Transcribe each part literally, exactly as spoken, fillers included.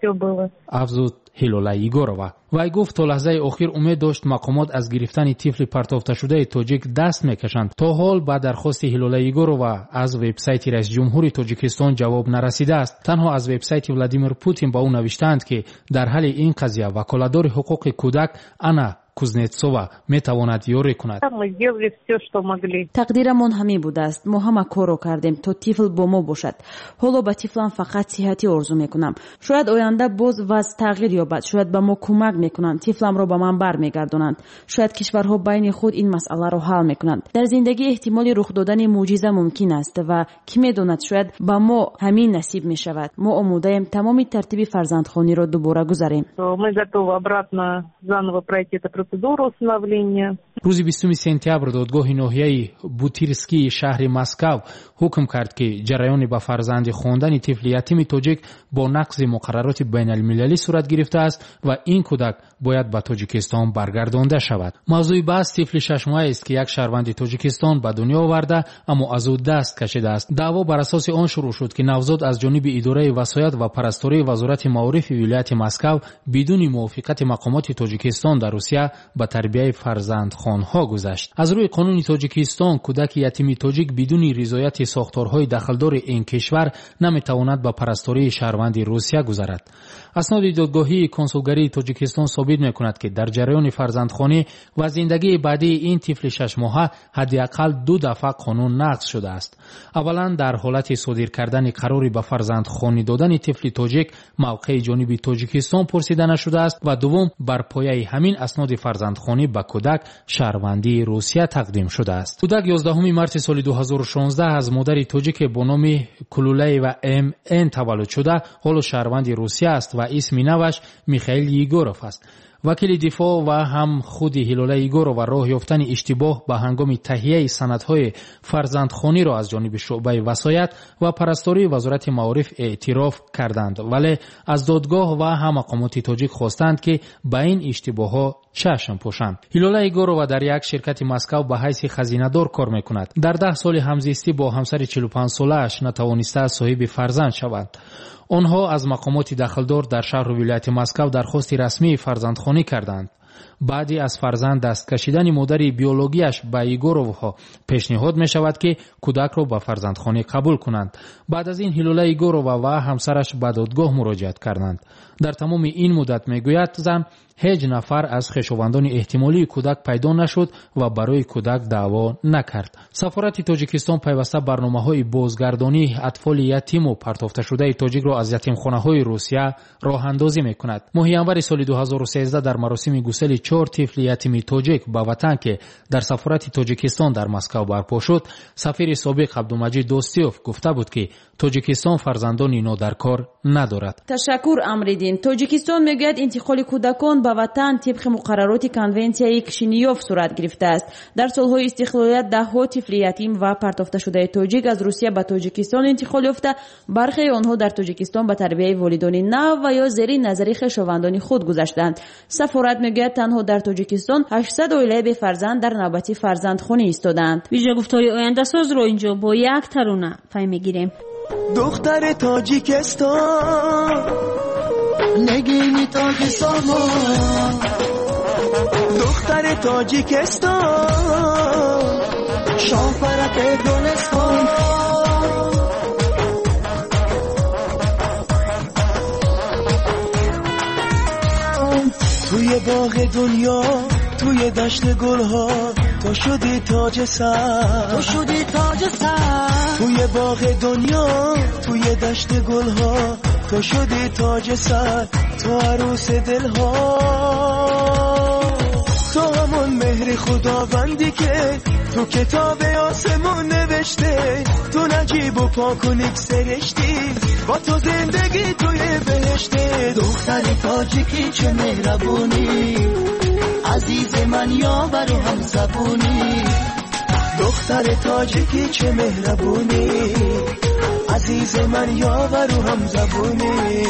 Все было. Афзуд Ҳилола Егорова. Вай гуфт, то лаҳзаи охир умед дошт, мақомот аз гирифтани тифли партофташудаи тоҷик даст мекашанд. То ҳол ба дархости Ҳилола Егорова аз вебсайти раисиҷумҳури Тоҷикистон ҷавоб нарасидааст. Танҳо аз вебсайти Владимир Путин ба ӯ навиштаанд, ки дар ҳалли ин қазия ваколатдори ҳуқуқи кӯдак Анна Кузнецова метавонад ёрӣ кунад. Мы сделали все, что могли. Тақдирамон ҳамин будааст. Мо ҳама корро кардем, то тифл бо мо бошад. Ҳоло ба тифлам фақат сиҳатӣ орзу мекунам. Шояд оянда боз вазъ тағйир ёбад, шояд ба мо кӯмак мекунанд, тифламро ба ман бармегардонанд. Шояд кишварҳо байни худ ин масъаларо ҳал мекунанд. Дар зиндагӣ эҳтимоли рух додани мӯъҷиза мумкин аст ва кӣ медонад, шояд ба мо ҳамин насиб мешавад. Мо омодаем тамоми тартиби фарзандхониро дубора гузарем. Мы готовы обратно заново пройти эту процедуру усыновления. Рӯзи бистуми сентябр додгоҳи ноҳияи Бутирскии шаҳри Москав ҳукм кард, ки ҷараёни ба фарзанди хондани тифли ятими тоҷик бо нақзи муқаррароти байналмилалӣ сурат гирифтааст ва ин кӯдак бояд ба Тоҷикистон баргардонда шавад. Мавзӯи баҳс тифли шашмоҳаест, ки як шаҳрванди Тоҷикистон ба дунё оварда, аммо аз ӯ даст кашидааст. Даъво бар асоси он шурӯъ шуд, ки навзод аз ҷониби идораи васоят ва парастории Вазорати маорифи вилояти Москав бидуни мувофиқати мақомоти Тоҷикистон дар Русия ба тарбияи фарзандхонҳо гузашт. Аз рӯи қонуни Тоҷикистон кӯдаки ятими тоҷик бидуни ризояти сохторҳои дахлдори ин кишвар наметавонад ба парастории шаҳрванди Русия гузарад. Асноди додгоҳии консулгарии Тоҷикистон собит мекунад, ки дар ҷараёни фарзандхонӣ ва зиндагии баъдии ин тифли шашмоҳа ҳадди ақал ду дафъа қонун нақз шудааст. Аввалан, дар ҳолати содир кардани қарори ба фарзандхонӣ додани тифли тоҷик мавқеи ҷониби Тоҷикистон пурсида нашудааст ва дуввум, бар пояи ҳамин асноди фарзандхонӣ ба кӯдак шаҳрвандии Русия тақдим шудааст. Кӯдак ёздаҳуми марти соли ду ҳазору шонздаҳ аз модари тоҷике бо номи Кулулаева М Н таваллуд шуда, ҳоло шаҳрванди Русия аст ва исми наваш Михаил Егоров аст. Вакили дифоъ ва ҳам худи Ҳилола Егорова роҳ ёфтани иштибоҳ ба ҳангоми таҳияи санадҳои фарзандхониро аз ҷониби шӯъбаи васоят ва парастории Вазорати маориф эътироф карданд, вале аз додгоҳ ва ҳам мақомоти тоҷик хостанд, ки ба ин иштибоҳҳо чашм пӯшанд. Ҳилола Егорова дар як ширкати Москав ба ҳайси хазинадор кор мекунад. Дар даҳ соли ҳамзистӣ бо ҳамсари чилу панҷсолааш натавонистааст соҳиби фарзанд шавад. Онҳо аз мақомоти дахлдор дар шаҳру вилояти Москав дархости расмии фарзандхонӣ карданд. Баъди аз фарзанд даст кашидани модари биологияш ба Егоровҳо пешниҳод мешавад, ки кӯдакро ба фарзандхонӣ қабул кунанд. Баъд аз ин Ҳилола Егорова ва ҳамсараш ба додгоҳ муроҷиат карданд. Дар тамоми ин муддат, мегӯяд зан, ҳеҷ нафар аз хешовандони эҳтимолии кӯдак пайдо нашуд ва барои кӯдак даъво накард. Сафорати Тоҷикистон пайваста барномаҳои бозгардонии атфоли ятиму партофташудаи тоҷикро аз ятимхонаҳои Русия роҳандозӣ мекунад. Моҳи январи соли ду ҳазору сездаҳ дар маросими гусели чор тифли ятими тоҷик ба ватан, ки дар сафорати Тоҷикистон дар Москав барпо шуд, сафири собиқ Абдумаҷид Достиёв гуфта буд, ки Тоҷикистон фарзандони нодаркор надорад. Ташаккур, Амриддин. Тоҷикистон мегӯяд, интиқоли кӯдакон ба ватан тибқи муқаррароти конвенсияи Кишинёв сурат гирифтааст. Дар солҳои истиқлолият даҳҳо тифли ятим ва партофташудаи тоҷик аз Русия ба Тоҷикистон интиқол ёфта, бархеи онҳо дар Тоҷикистон ба тарбияи волидони нав ва ё зери назари хешовандони худ гузаштанд. Сафорат мегӯяд, танҳо дар Тоҷикистон ҳаштсад оилаи бефарзанд дар навбати фарзандхонӣ истодаанд. Вижагуфтори ояндасозро инҷо бо як тарона пай мегирем. Духтари Тоҷикистон, нигини Тоҷикистон, духтари Тоҷикистон, шоҳпараки Гулистон. توی باغ دنیا، توی دشت گلها، تو شدی تاج سر، تو شدی تاج سر. توی باغ دنیا، توی دشت گلها، تو شدی تاج سر، تو عروس دلها. تو همون مهر خداوندی که تو کتاب آسمون نوشته، تو نجیب و پاک و نیک سرشتی، با تو زندگی توی بهشته. دختر تاجیکی چه مهربونی، عزیز من یاور و هم زبونی. دختر تاجیکی چه مهربونی، عزیز من یاور و هم زبونی.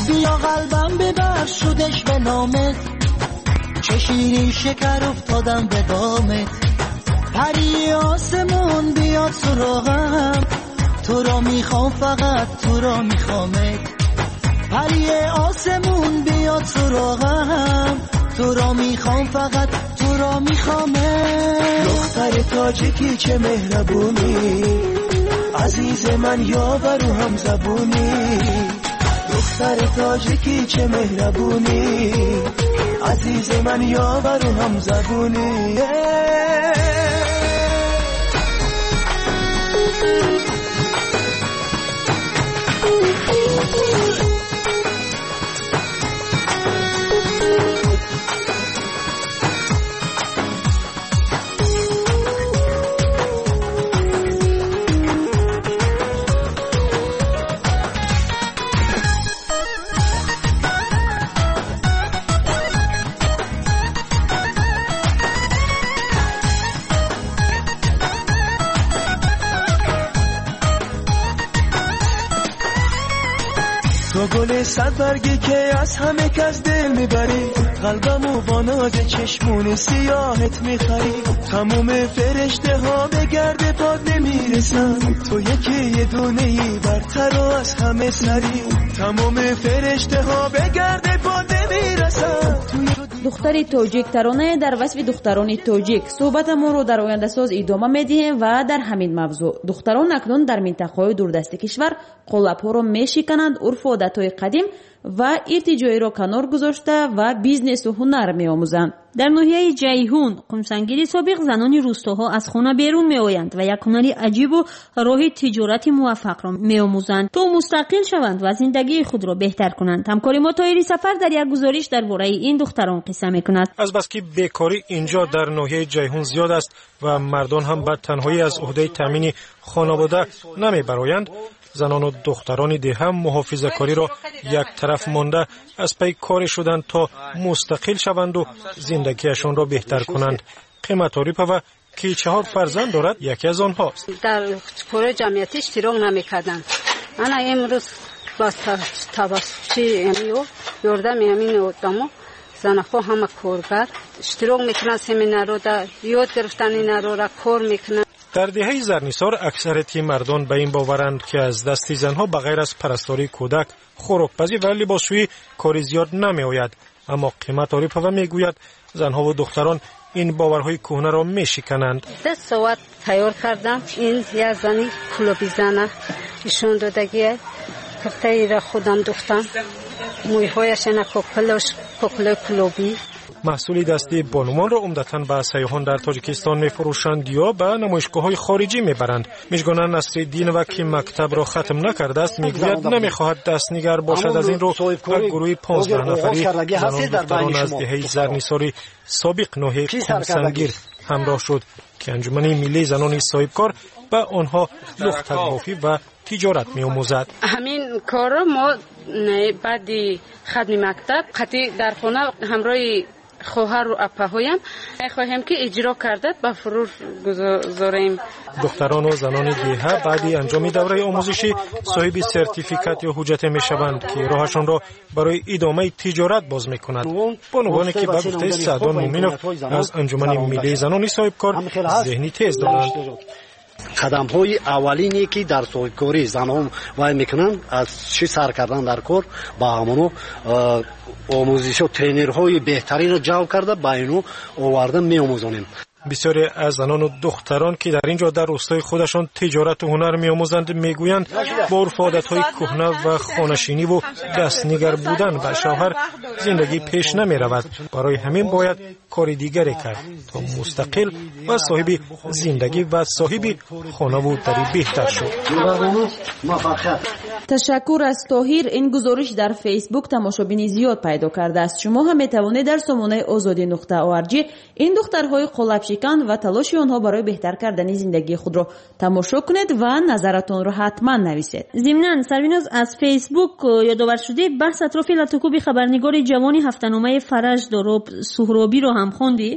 بیا قلبم ببر شدش به نامت، چه شیرین شکر افتادم به دامت. پری آسمون بیاد سراغم، تو را میخوام فقط تو را میخوامت. پری آسمون بیاد سراغم، تو را میخوام فقط تو را میخوامت. دختر تاجیکی چه مهربونی، عزیز من یاور و هم زبونی. دختر تاجیکی چه مهربونی، عزیز من یاور و هم زبونی. گل صد برگی که از همه کس دل میبری، قلبمو با ناز چشمون سیاهت میخری. تموم فرشته ها به گرد پاد نمیرسن، تو یکی یه دونه ای برتر و از همه سری. تموم فرشته ها به گرد پاد نمیرسن. Духтари тоҷик таронае дар васфи духтарони тоҷик. Суҳбатамонро дар ояндасоз идома медиҳем ва дар ҳамин мавзӯъ. Духтарон акнун дар минтақаҳои дурдасти кишвар қолабҳоро мешикананд, урфу одатҳои қадим ва иртиҷоиро канор гузошта ва бизнесу ҳунар меомӯзанд. Дар ноҳияи Ҷайҳун қумсангири собиқ занони рустоҳо аз хона берун меоянд ва як ҳунари аҷибу роҳи тиҷорати муваффақро меомӯзанд, то мустақил шаванд ва зиндагии худро беҳтар кунанд. Ҳамкори мо Тоҳири Сафар дар як гузориш дар бораи ин духтарон қисса мекунад. Азбаски бекорӣ инҷо дар ноҳияи Ҷайҳун зиёд аст ва мардон ҳам ба танҳоӣ аз уҳдаи таъмини хонавода намебароянд, занону духтарони деҳа муҳофизакориро як тараф монда аз пай коре шуданд то мустақил шаванду зиндагиашонро беҳтар кунанд. Қимат Орипова ки чаҳор фарзанд дорад, яке аз онҳост. Дар кори ҷамъиятӣ иштирок намекарданд. Ана имрӯз ба тавассути ёрдами ҳамин одамо занаҳо ҳама коргар иштирок мекунанд, семинарҳода ёд гирифтан инарора кор мекунанд. Дар деҳаи Зарнисор аксарияти мардон ба ин боваранд, ки аз дасти занҳо ба ғайр аз парастории кӯдак, хӯрокпазӣ ва либосшӯӣ кори зиёд намеояд. Аммо Қимат Орипова мегӯяд, занҳову духтарон ин боварҳои кӯҳнаро мешикананд. Ду соат тайёр кардам. Ин як зани кулоби зана ишон додагия. Киртаиро худам духтам. Мӯйҳояш ана кокилош, кокилои кулобӣ. Маҳсули дастии бонувонро умдатан ба сайёҳон дар Тоҷикистон мефурӯшанд ё ба намоишгоҳҳои хориҷӣ мебаранд. Мижгона Насриддинова, ки мактабро хатм накардааст, мегӯяд намехоҳад дастнигар бошад. Аз ин рӯ ба гурӯҳи понздаҳ нафарӣ занон духтарон аз деҳаи Зарнисори собиқ ноҳияи Қумсангир ҳамроҳ шуд, ки анҷумани миллии занони соҳибкор ба онҳо лухтакбофӣ ва тиҷорат меомӯзад. Ҳамин корро мо баъди хатми мактаб қатъи дар хона ҳамроҳи хоҳару апаҳоям мехоҳем, ки иҷро карда ба фурӯш гузорем. Духтарону занони деҳа баъди анҷоми давраи омӯзишӣ соҳиби сертификат ё ҳуҷҷате мешаванд, ки роҳашонро барои идомаи тиҷорат боз мекунад. Бонувоне ки ба гуфтаи Саъдон Муминов аз анҷумани миллии занони соҳибкор зеҳни тез доранд. Қадамҳои аввалине ки дар соҳибкорӣ занҳо вай мекунанд, аз чӣ сар кардан дар кор, ба ҳамоно омӯзишҳо, тренерҳои беҳтаринро ҷалб карда ба ино оварда меомӯзонем. Бисёре аз занону духтарон, ки дар ин ҷо дар рустои худашон тиҷорату ҳунар меомӯзанд, мегӯянд бо урфу одатҳои кӯҳна ва хонашиниву дастнигар будан ба шавҳар зиндагӣ пеш намеравад. Барои ҳамин бояд кори дигаре кард, то мустақил ва соҳиби зиндагӣ ва соҳиби хонаву дари беҳтар шуд. Ташаккур аз Тоҳир. Ин гузориш дар Фейсбук тамошобини зиёд пайдо кардааст. Шумо ҳам метавонед дар сомонаи озодӣ нуқта орг ин духтарҳои қолабшикан ва талоши онҳо барои беҳтар кардани зиндагии худро тамошо кунед ва назаратонро ҳатман нависед. Зимнан Сарвиноз, аз Фейсбук ёдовар шудӣ, баҳс атрофи латукуби хабарнигори ҷавони ҳафтаномаи Фараҷ Дороб Суҳробиро ҳам хондӣ.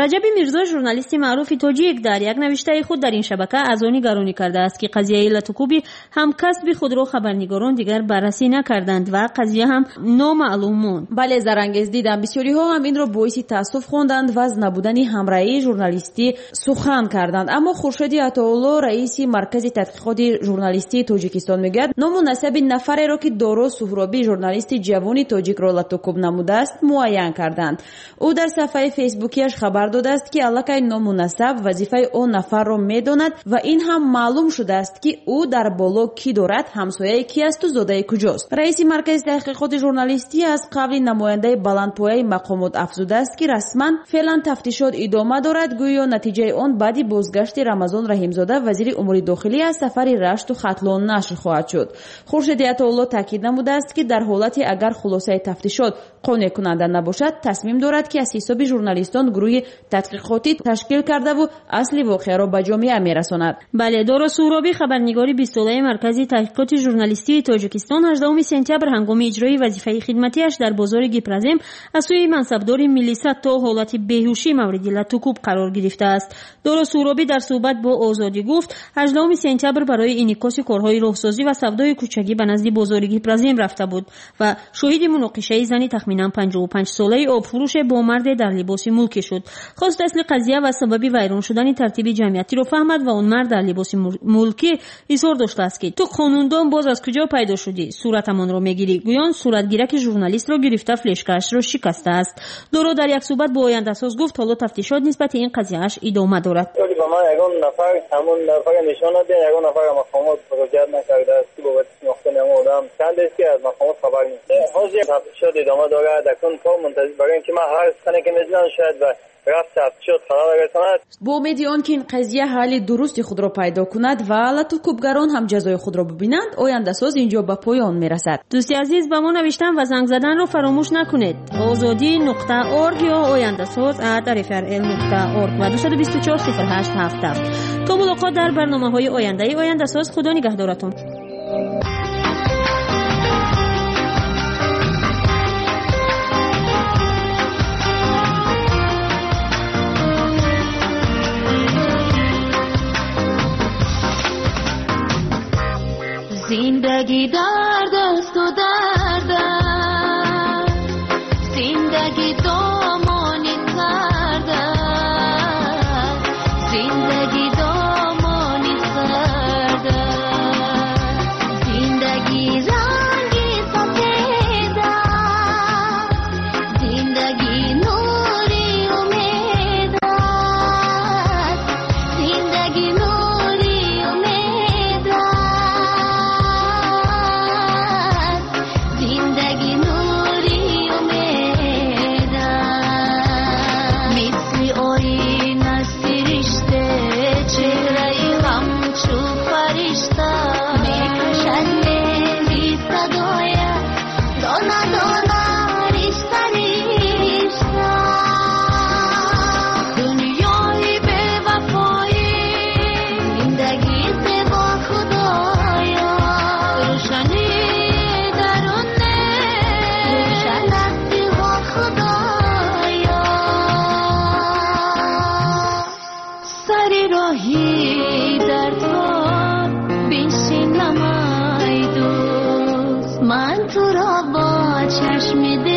Раҷаби Мирзо, журналисти маъруфи тоҷик, дар як навиштаи худ дар ин шабака аз он нигаронӣ кардааст, ки қазияи латукуби ҳамкасби худро хабарнигорон дигар баррасӣ накарданд ва қазия ҳам номаълум монд. Бале, Зарангез, дидам бисёриҳо ҳам инро боиси таассуф хонданд ва аз набудани ҳамраҳии журналистӣ сухан карданд. Аммо Хуршеди Атоулло, раиси Маркази тадқиқоти журналистии Тоҷикистон, мегӯяд ному насаби нафареро, ки Доро Суҳробӣ, журналисти ҷавони тоҷикро латукуб намудааст, муайян карданд. Ӯ дар саҳфаи фейсбукияш хабар додааст, ки аллакай ному насаб вазифаи он нафарро медонад ва ин ҳам маълум шудааст, ки ӯ дар боло кӣ дорад, ҳамсояи кӣ асту зодаи куҷост. Раиси Маркази таҳқиқоти журналистӣ аз қавли намояндаи баландпояи мақомот афзудааст, ки расман феълан тафтишот идома дорад, гӯё натиҷаи он баъди бозгашти Рамазон Раҳимзода, вазири умури дохилӣ, аз сафари Рашту Хатлон нашр хоҳад шуд. Хуршеди Атоулло таъкид намудааст, ки дар ҳолате агар хулосаи тафтишот қонеъкунанда набошад, тасмим дорад, ки аз ҳисоби журналистон гурӯҳи тадқиқотӣ ташкил кардаву асли воқеаро ба ҷомеа мерасонад. Бале, Доро Суҳробӣ, хабарнигори бистсолаи Маркази таҳқиқоти журналистии Тоҷикистон, ҳаждаҳуми сентябр ҳангоми иҷрои вазифаи хидматиаш дар бозори Гипразем аз сӯи мансабдори милиса то ҳолати беҳушӣ мавриди латукуб қарор гирифтааст. Доро Суҳробӣ дар суҳбат бо Озодӣ гуфт, ҳаждаҳуми сентябр барои инъикоси корҳои роҳсозӣ ва савдои кӯчагӣ ба назди бозори Гипразем рафта буд ва шоҳиди муноқишаи зани тахминан панҷоҳу панҷ солаи обфурӯше бо марде дар либоси мулкӣ шуд. Хост асли қазия ва сабаби вайрон шудани тартиби ҷамъиятиро фаҳмад ва он мард дар либоси мулкӣ изҳор доштааст, ки ту қонундон боз аз куҷо пайдо шудӣ, суратамонро мегирӣ. Гӯён суратгираки журналистро гирифта флешкаашро шикастааст. Доро дар як суҳбат бо Ояндасоз гуфт, ҳоло тафтишот нисбати ин қазияаш идома дорад. Ба ман ягон нафар ҳамон нафарро нишон надиҳанд, ягон нафар мақомот муроҷиат накардааст, ки бобати шинохтани ҳамон одам чандест, ки аз мақомот хабар нест. Ҳозир тафтишот идома дорад, акнун то мунтазир барои ин ки ман ҳар сухане ки мезанам шояд ба рафт тафтишот халал расонад. Бо умеди он ки ин қазия ҳалли дурусти худро пайдо кунад ва латукубгарон ҳам ҷазои худро бибинанд, Ояндасоз инҷо ба поён мерасад. Дӯсти азиз, ба мо навиштан ва занг заданро фаромӯш накунед. Озодӣ нуқта орг ё ояндасоз at rfrl нуқта орг ва дусаду бисту чор сифр ҳашт ҳафт ҳафт. То мулоқот дар барномаҳои ояндаи Ояндасоз, худо нигаҳдоратон. زندگی درد است و درد است، زندگی دامان سرد است، زندگی دامان سرد است، زندگی رنگ سفید است، زندگی نوری امید است، زندگی نوری امید است، زندگی نوری امید است. مثل آینه سرشته، چهره‌ی همچو فرشته، میکشد مهری صدایت دانه دانه رشته رشته. دنیای بی‌وفایی، زندگی زیبا خدایا، روشنی درون روشن است دلها خدایا. سر راهی در تو بنشینم ای دوست، من تو را با چشم دل